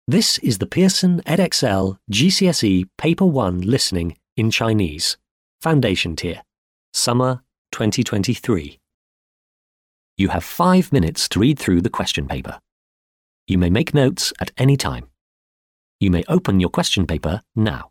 This is the Pearson Edexcel GCSE Paper 1 Listening in Chinese, Foundation Tier, Summer 2023. You have 5 minutes to read through the question paper. You may make notes at any time. You may open your question paper now.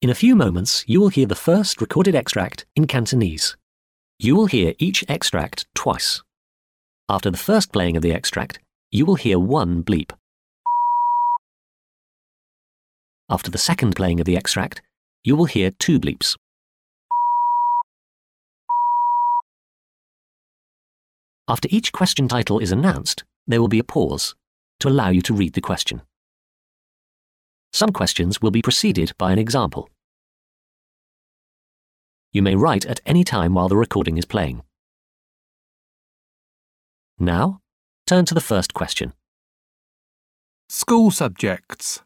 In a few moments, you will hear the first recorded extract in Cantonese. You will hear each extract twice. After the first playing of the extract, you will hear one bleep. After the second playing of the extract, you will hear two bleeps. After each question title is announced, there will be a pause to allow you to read the question. Some questions will be preceded by an example. You may write at any time while the recording is playing. Now, turn to the first question. School subjects.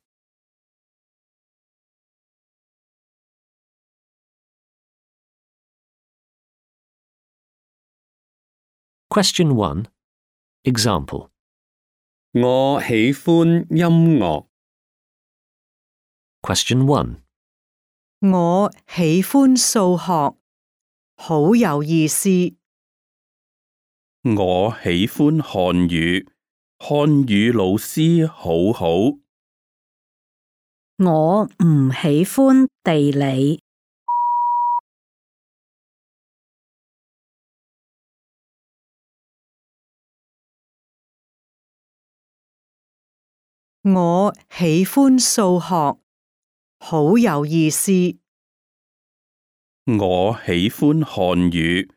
Question 1. Example. 我喜歡音樂。 Question 1. 我喜歡數學，好有意思。我喜歡漢語，漢語老師好好。我唔喜歡地理。我喜歡數學，好有意思。我喜歡漢語，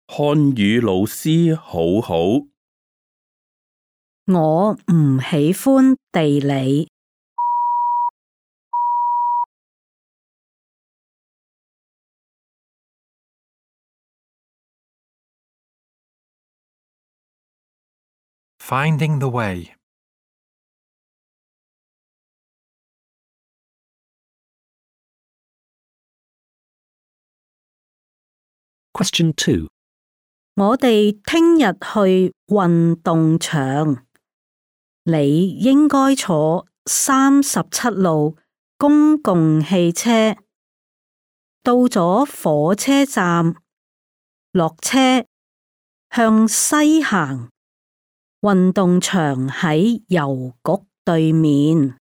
漢語老師好好。我唔喜歡地理。Finding the way. Question 2. 我哋聽日去運動場，你應該坐37路公共汽車，到咗火車站，落車，向西行，運動場喺郵局對面。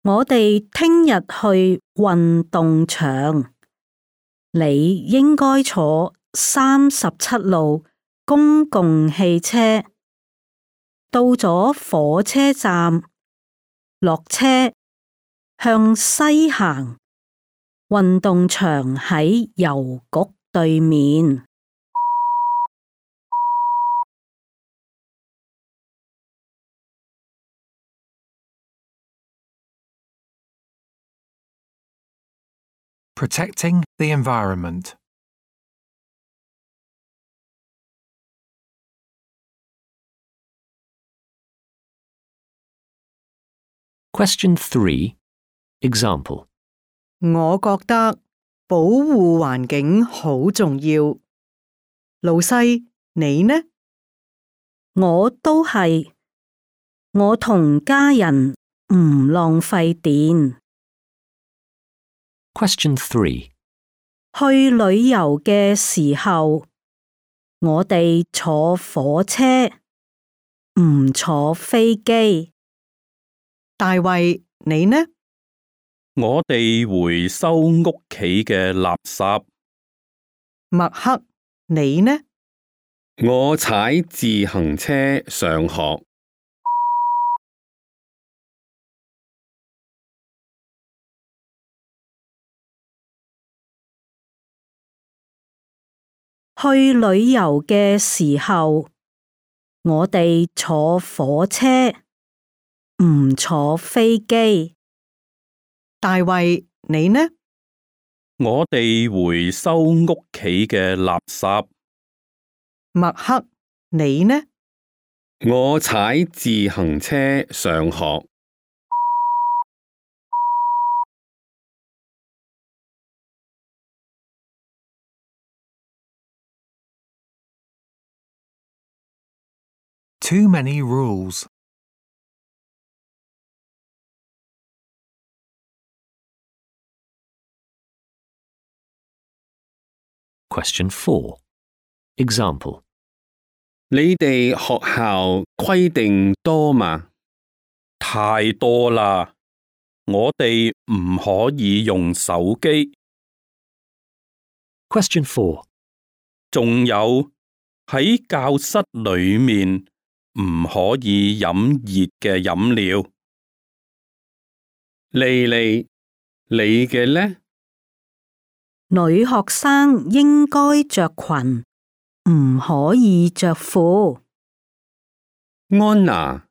我哋聽日去運動場，你應該坐37路公共汽車，到咗火車站，落車，向西行，運動場喺郵局對面。Protecting the environment. Question 3. Example. 我覺得保護環境好重要。老細，你呢？我都係。我同家人唔浪費電。Question 3. 去旅遊嘅時候，我哋坐火車，唔坐飛機。大衛，你呢？我哋回收屋企嘅垃圾。麥克，你呢？我踩自行車上學。去旅遊嘅時候，我哋坐火車，唔坐飛機。大衛，你呢？我哋回收屋企嘅垃圾。麥克，你呢？我踩自行車上學。Too many rules. Question 4. Example. 你哋學校規定多嗎？太多啦，我哋唔可以用手機。Question 4. 仲有喺教室裏面唔可以飲熱嘅飲料。莉莉，你嘅呢？女學生應該着裙，唔可以着褲。安娜，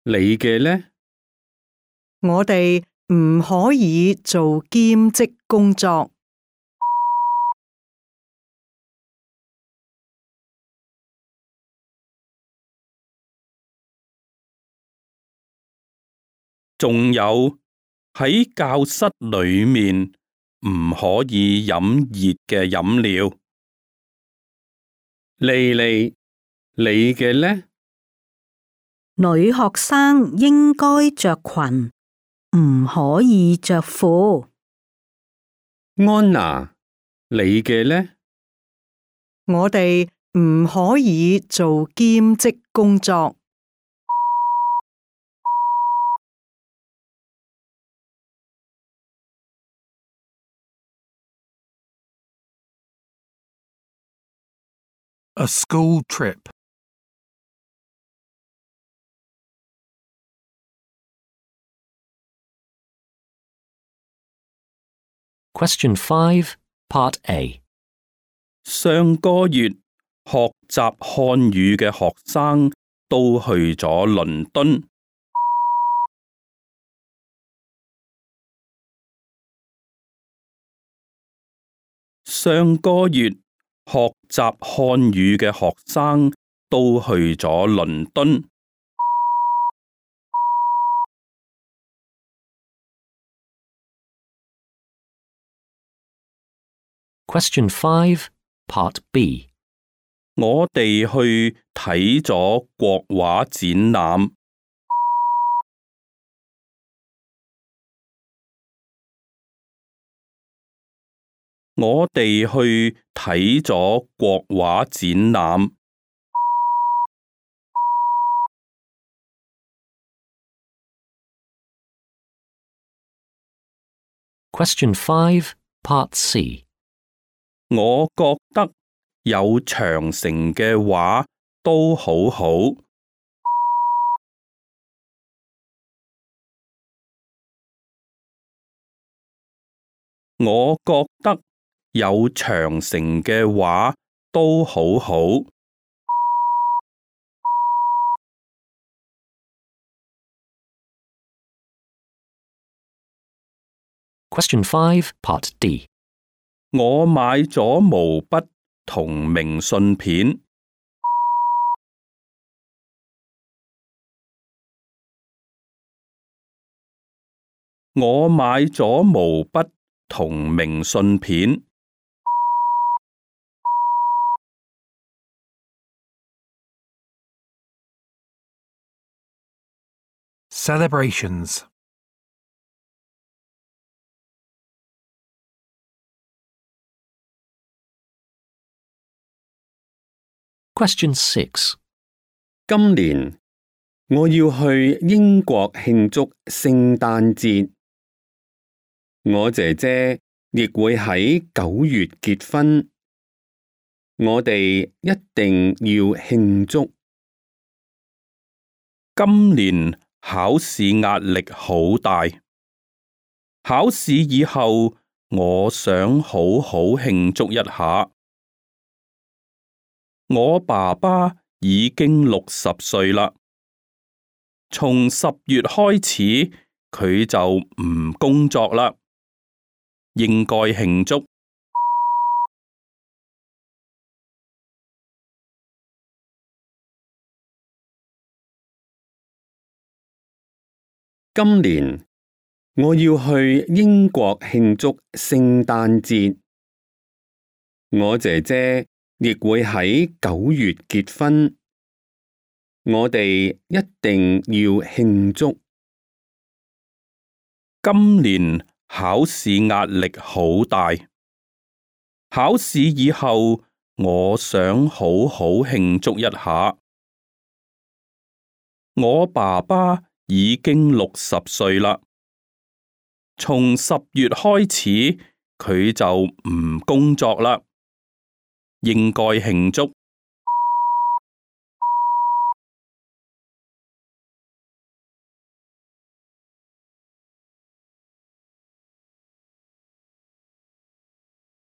你嘅呢？我哋唔可以做兼職工作。仲有喺教室裏面唔可以飲熱嘅飲料。莉莉，你嘅呢？女學生應該着裙，唔可以着褲。安娜，你嘅呢？我哋唔可以做兼職工作。A school trip. Question 5, Part A. 上個月學習漢語嘅學生都去咗倫敦。上個月學習漢語嘅學生都去咗倫敦。Question 5, Part B. 我哋去睇咗國畫展覽。我哋去睇咗國畫展覽。Question 5, Part C. 我覺得有長城嘅畫都好好。我覺得有長城嘅畫都好好。Question 5, Part D. 我買咗毛筆同明信片。我買咗毛筆同明信片。Celebrations. Question 6. 今年我要去英國慶祝聖誕節。我姐姐亦會喺9月結婚。我哋一定要慶祝。今年考試壓力好大。考試以後，我想好好慶祝一下。我爸爸已經60歲啦，從10月開始佢就唔工作啦，應該慶祝。今年我要去英國慶祝聖誕節。我姐姐亦會喺9月結婚。我哋一定要慶祝。今年考試壓力好大。考試以後，我想好好慶祝一下。我爸爸已經60歲啦，從10月開始佢就唔工作啦，應該慶祝。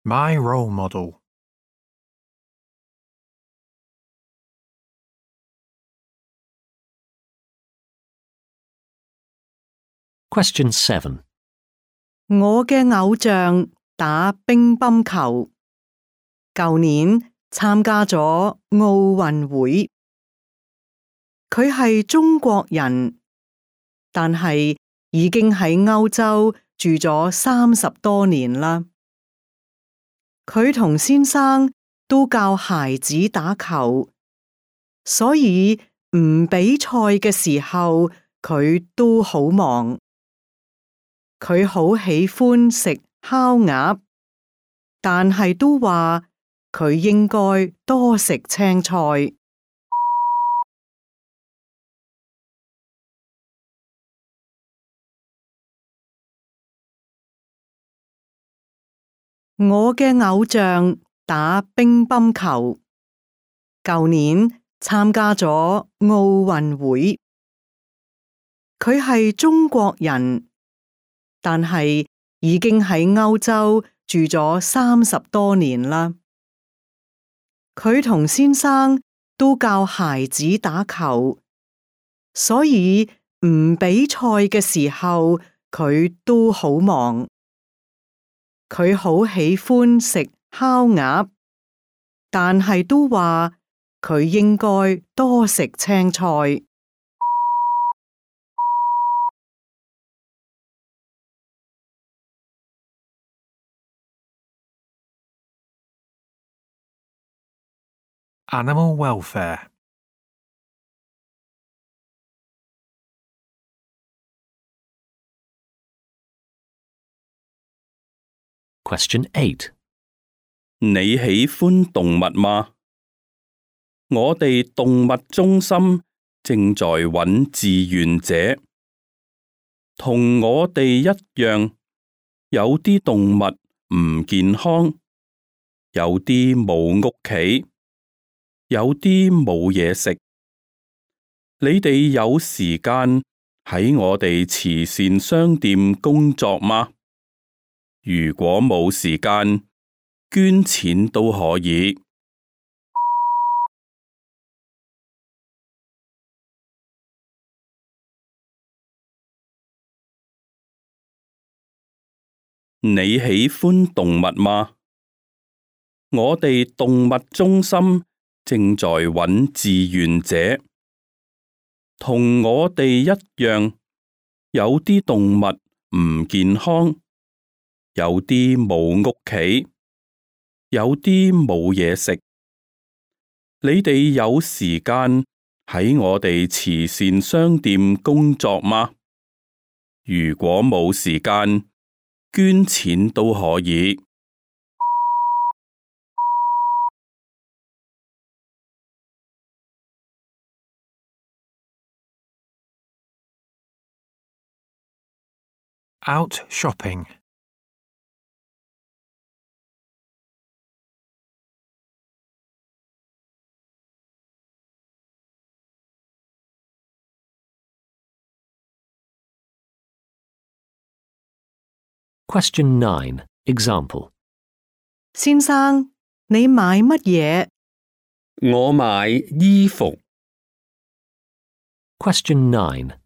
My role model. Question 7. 我嘅偶像打乒乓球，舊年參加咗奧運會。佢係中國人，但係已經喺歐洲住咗30多年啦。佢同先生都教孩子打球，所以唔比賽嘅時候佢都好忙。佢好喜歡食烤鴨，但係都話佢應該多食青菜。我嘅偶像打乒乓球，舊年參加咗奧運會。佢係中國人，但係已經喺歐洲住咗30多年啦。佢同先生都教孩子打球，所以唔比賽嘅時候佢都好忙。佢好喜歡食烤鴨，但係都話佢應該多食青菜。Animal welfare. Question 8. 你喜歡動物嗎？我哋動物中心正在揾志願者，同我哋一樣，有啲動物唔健康，有啲冇屋企，有啲冇嘢食。你哋有時間喺我哋慈善商店工作嗎？如果冇時間，捐錢都可以。你喜歡動物嗎？我哋動物中心正在揾志願者，同我哋一樣，有啲動物唔健康，有啲冇屋企，有啲冇嘢食。你哋有時間喺我哋慈善商店工作嗎？如果冇時間，捐錢都可以。Out shopping. Question 9. Example. 先生，你買乜嘢？我買衣服。Question 9.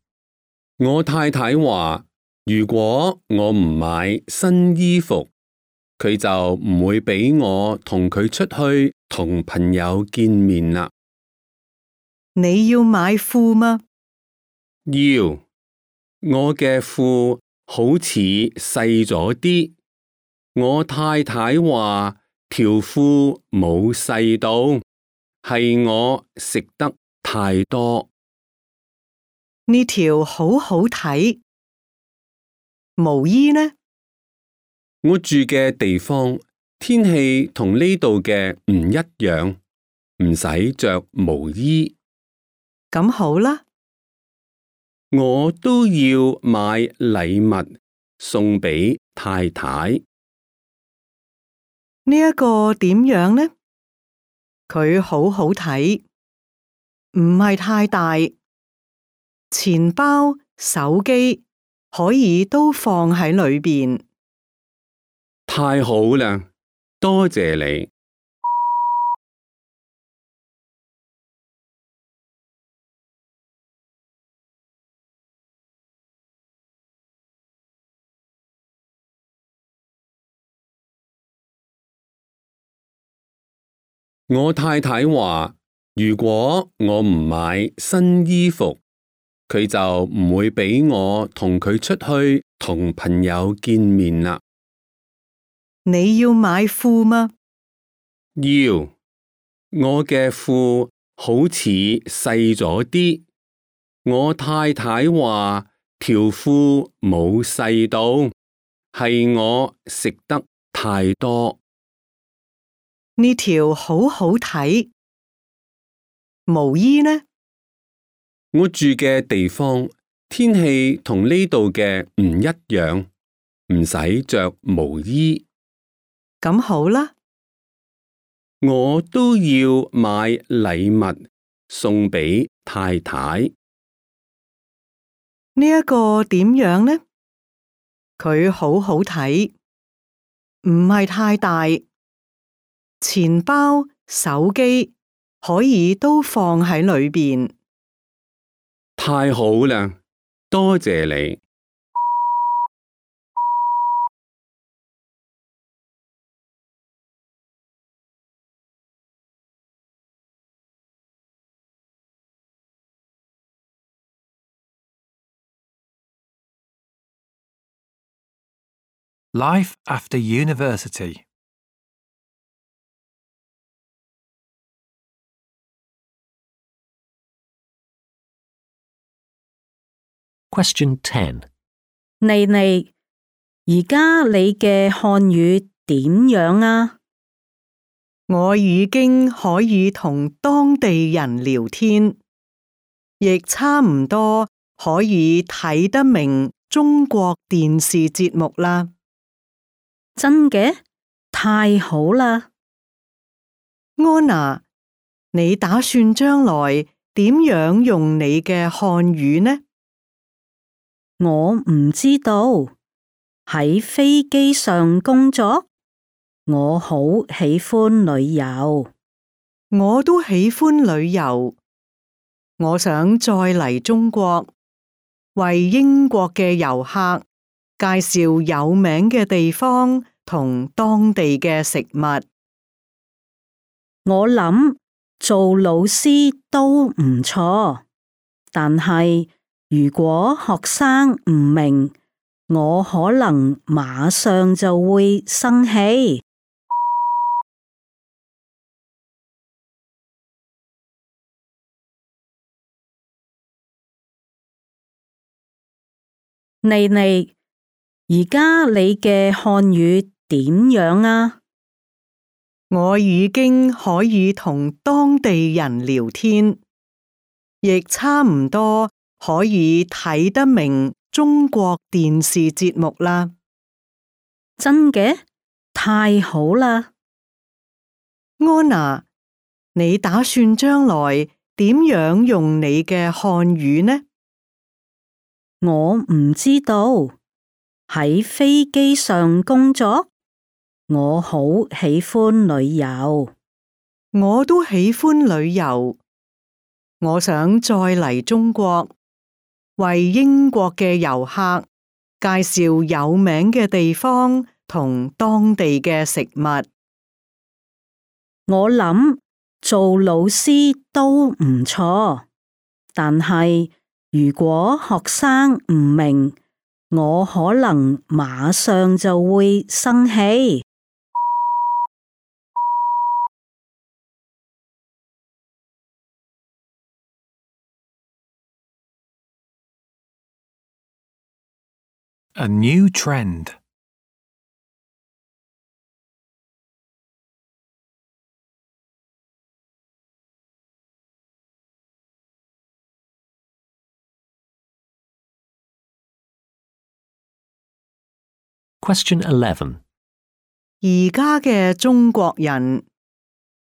我太太話，如果我唔買新衣服，佢就唔會俾我同佢出去同朋友見面啦。你要買褲嗎？要，我嘅褲好似細咗啲。我太太話條褲冇細到，係我食得太多。呢條好好睇。毛衣呢？我住嘅地方天氣同呢度嘅唔一樣，唔使着毛衣。咁好啦。我都要買禮物送俾太太。呢一個點樣呢？佢好好睇，唔係太大，錢包、手機可以都放喺裏邊。太好啦，多謝你。我太太話，如果我唔買新衣服，佢就唔會俾我同佢出去同朋友見面啦。你要買褲嗎？要，我嘅褲好似細咗啲。我太太話條褲冇細到，係我食得太多。呢條好好睇。毛衣呢？我住嘅地方天氣同呢度嘅唔一樣，唔使着毛衣。咁好啦，我都要買禮物送俾太太。呢一個點樣呢？佢好好睇，唔係太大，錢包、手機可以都放喺裏邊。太好啦，多謝你。Life after university. Question 10. 妮妮，而家你嘅漢語點樣啊？我已經可以同當地人聊天，亦差唔多可以睇得明中國電視節目啦。真嘅？太好啦！安娜，你打算將來點樣用你嘅漢語呢？我唔知道。喺飛機上工作，我好喜歡旅遊。我都喜歡旅遊，我想再嚟中國，為英國嘅遊客介紹有名嘅地方同當地嘅食物。我諗做老師都唔錯，但係如果學生唔明，我可能馬上就會生氣。妮妮，而家你嘅漢語點樣啊？我已經可以同當地人聊天，亦差唔多可以睇得明中國電視節目啦。真嘅？太好啦！安娜，你打算將來點樣用你嘅漢語呢？我唔知道。喺飛機上工作，我好喜歡旅遊。我都喜歡旅遊，我想再嚟中國，為英國嘅遊客介紹有名嘅地方同當地嘅食物。我諗做老師都唔錯，但係如果學生唔明，我可能馬上就會生氣。A new trend. Question 11. 而家嘅中國人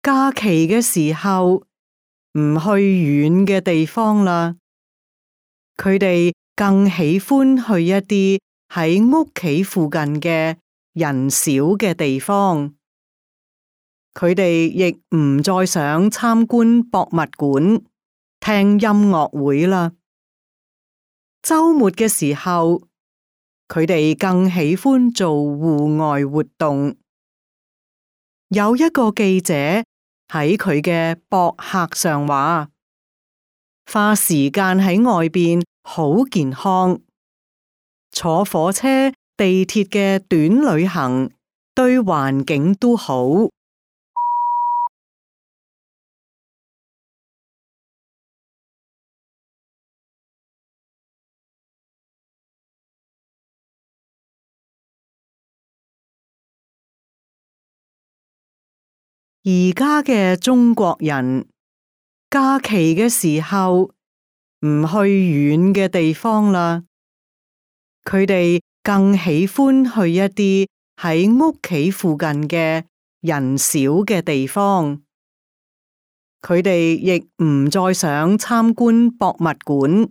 假期嘅時候唔去遠嘅地方啦，佢哋更喜歡去一啲喺屋企附近嘅人少嘅地方。佢哋亦唔再想參觀博物館、聽音樂會啦。週末嘅時候，佢哋更喜歡做戶外活動。有一個記者喺佢嘅博客上話，花時間喺外邊好健康，坐火車、地鐵嘅短旅行對環境都好。而家嘅中國人假期嘅時候唔去遠嘅地方啦，佢哋更喜歡去一啲喺屋企附近嘅人少嘅地方。佢哋亦唔再想參觀博物館、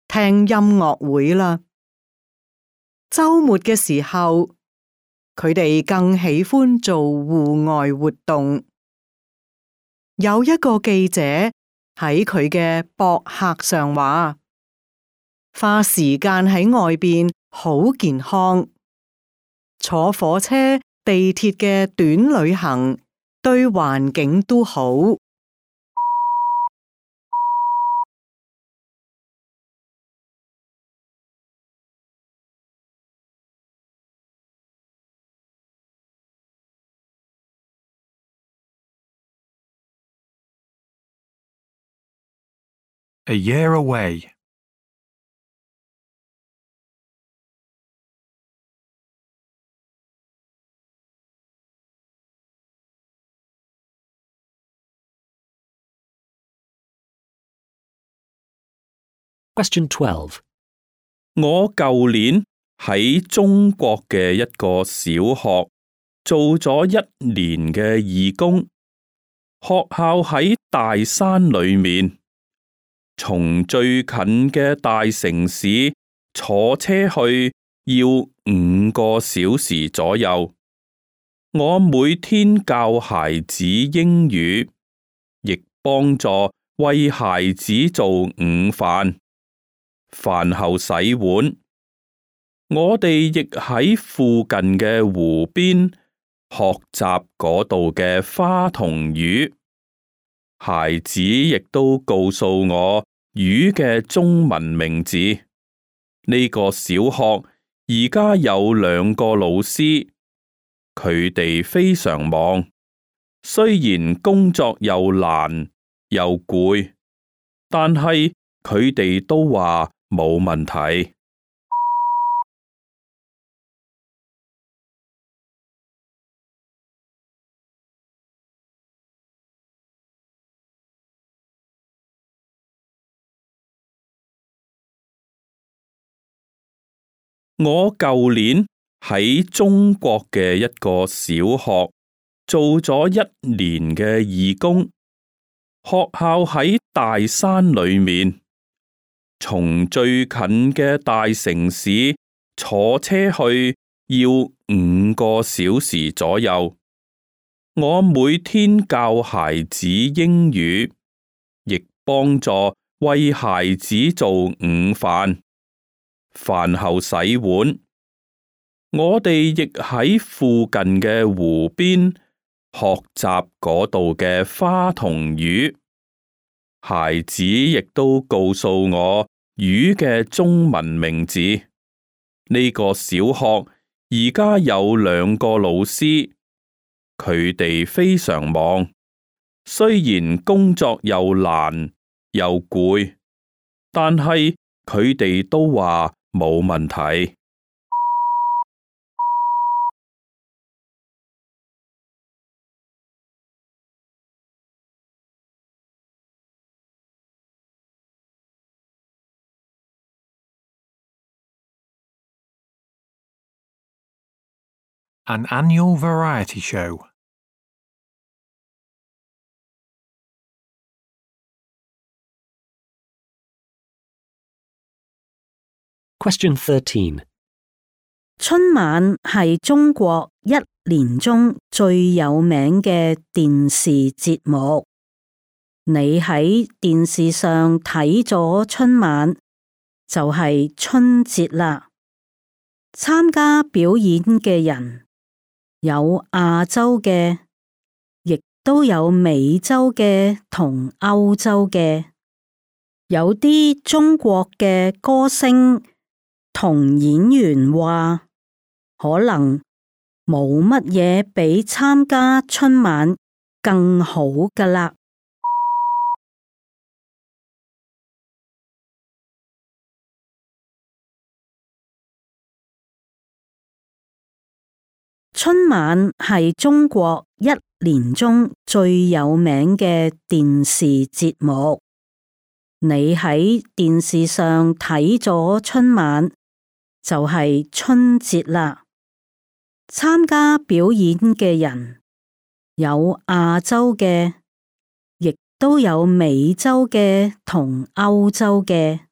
聽音樂會啦。週末嘅時候，佢哋更喜歡做戶外活動。有一個記者喺佢嘅博客上話，花時間喺外邊好健康，坐火車、地鐵嘅短旅行對環境都好。A year away. Question 12. 我舊年喺中國嘅一個小學做咗1年嘅義工，學校喺大山裏面，從最近嘅大城市坐車去要5個小時左右。我每天教孩子英語，亦幫助為孩子做午飯。飯後洗碗，我哋亦喺附近嘅湖邊學習嗰度嘅花同魚。孩子亦都告訴我魚嘅中文名字。呢個小學而家有2個老師，佢哋非常忙，雖然工作又難又攰，但係佢哋都話冇問題。我舊年喺中國嘅一個小學做咗1年嘅義工，學校喺大山裏面，從最近嘅大城市坐車去要5個小時左右。我每天教孩子英語，亦幫助為孩子做午飯。飯後洗碗，我哋亦喺附近嘅湖邊學習嗰度嘅花同魚。孩子亦都告訴我魚嘅中文名字。呢個小學而家有2個老師，佢哋非常忙，雖然工作又難又攰，但係佢哋都話冇問題。An annual variety show. Question 13. 春晚係中國一年中最有名嘅電視節目。你喺電視上睇咗春晚，就係春節啦。參加表演嘅人有亞洲嘅，亦都有美洲嘅同歐洲嘅。有啲中國嘅歌星同演員話，可能冇乜嘢比參加春晚更好㗎喇。春晚係中國一年中最有名嘅電視節目。你喺電視上睇咗春晚，就係春節啦。參加表演嘅人有亞洲嘅，亦都有美洲嘅同歐洲嘅。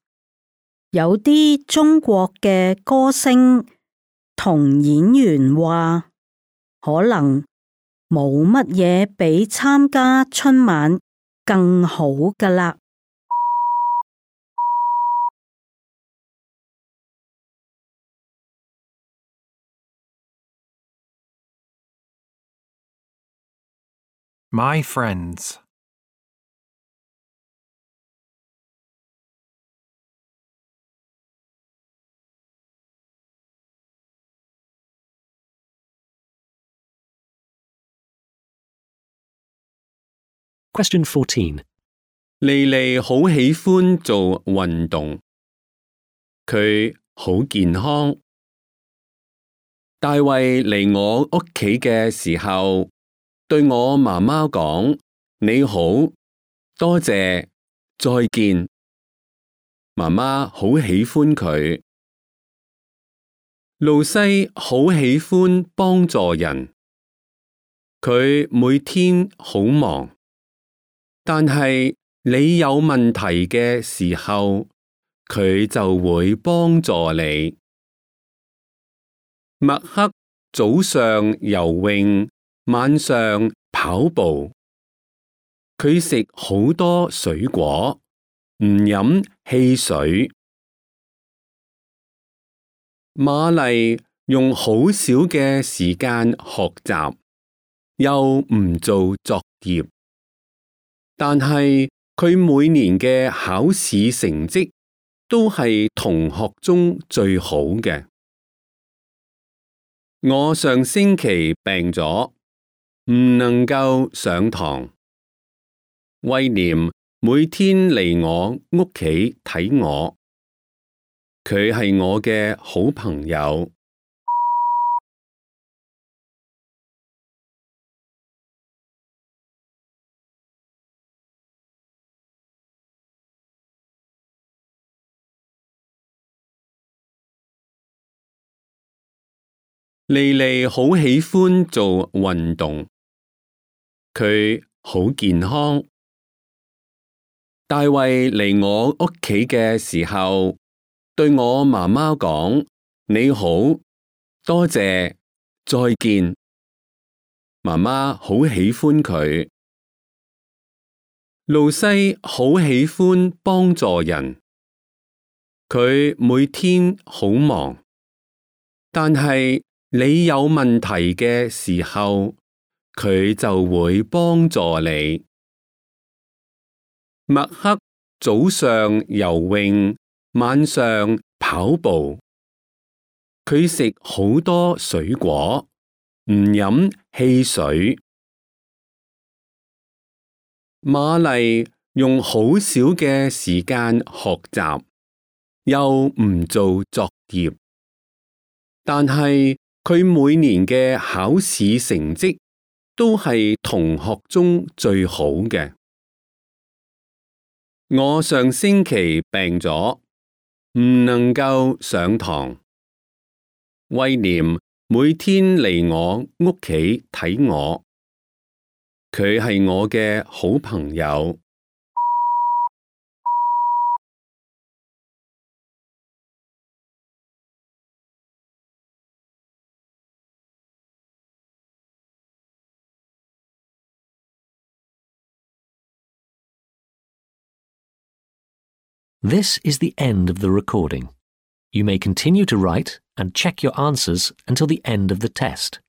有啲中國嘅歌星同演員話，可能冇乜嘢比參加春晚更好㗎喇。My friends. Question 14. 莉莉好喜歡做運動，佢好健康。大衛嚟我屋企嘅時候，對我媽媽講：你好，多謝，再見。媽媽好喜歡佢。露西好喜歡幫助人，佢每天好忙。但係你有問題嘅時候，佢就會幫助你。麥克早上游泳，晚上跑步。佢食好多水果，唔飲汽水。瑪麗用好少嘅時間學習，又唔做作業。但係佢每年嘅考試成績都係同學中最好嘅。我上星期病咗，唔能夠上堂。威廉每天嚟我屋企睇我，佢係我嘅好朋友。莉莉好喜歡做運動，佢好健康。大衛嚟我屋企嘅時候，對我媽媽講：你好，多謝，再見。媽媽好喜歡佢。露西好喜歡幫助人，佢每天好忙。但係你有問題嘅時候，佢就會幫助你。麥克早上游泳，晚上跑步。佢食好多水果，唔飲汽水。瑪麗用好少嘅時間學習，又唔做作業。但係佢每年嘅考試成績都係同學中最好嘅。我上星期病咗，唔能夠上堂。威廉每天嚟我屋企睇我。佢係我嘅好朋友。This is the end of the recording. You may continue to write and check your answers until the end of the test.